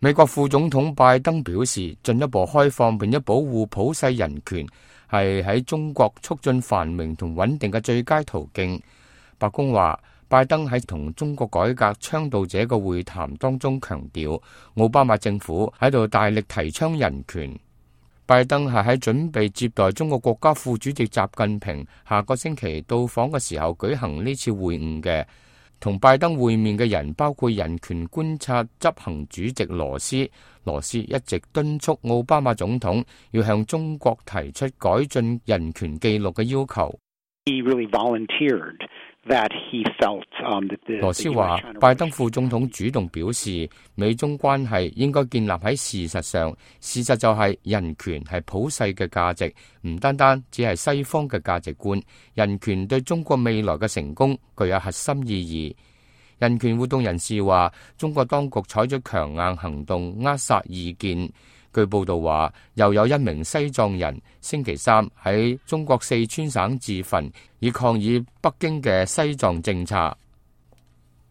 美國副總統拜登表示，進一步開放並且保護普世人權係喺中國促進繁榮同穩定嘅最佳途徑。白宮話，拜登喺同中國改革倡導者嘅會談當中強調，奧巴馬政府喺度大力提倡人權。拜登係喺準備接待中國國家副主席習近平下個星期到訪嘅時候舉行呢次會晤嘅。同拜登會面嘅人包括人權觀察執行主席羅斯。羅斯一直敦促奧巴馬總統要向中國提出改進人權記錄嘅要求。羅斯話，拜登副總統主動表示，美中關係應該建立喺事實上，事實就係人權係普世嘅價值，唔單單只係西方嘅價值觀。人權對中國未來嘅成功具有核心意義。人權活動人士話，中國當局採取強硬行動扼殺異見。據報道話，又有一名西藏人星期三喺中國四川省自焚，以抗議北京嘅西藏政策。